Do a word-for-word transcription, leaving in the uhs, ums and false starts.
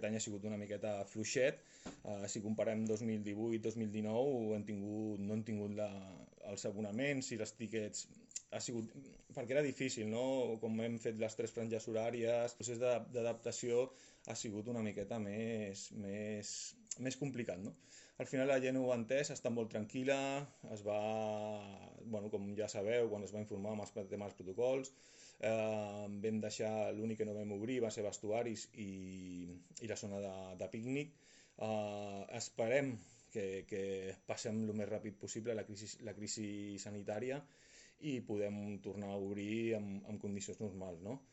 Aquest any ha sigut una miqueta fluixet. Uh, si comparem dos mil divuit dos mil dinou hem tingut, no hem tingut la, els abonaments i els tíquets. Ha sigut, perquè era difícil, no? Com hem fet les tres franges horàries, el procés d'adaptació ha sigut una miqueta més, més, més complicat, no? Al final la gent ho ha entès, està molt tranquil·la, es va, bueno, com ja sabeu, quan es va informar amb els temes dels protocols, eh, vam deixar, l'únic que no vam obrir va ser vestuaris i, i la zona de, de pícnic. Eh, esperem que, que passem el més ràpid possible la crisi, la crisi sanitària i podem tornar a obrir amb, amb condicions normals, no?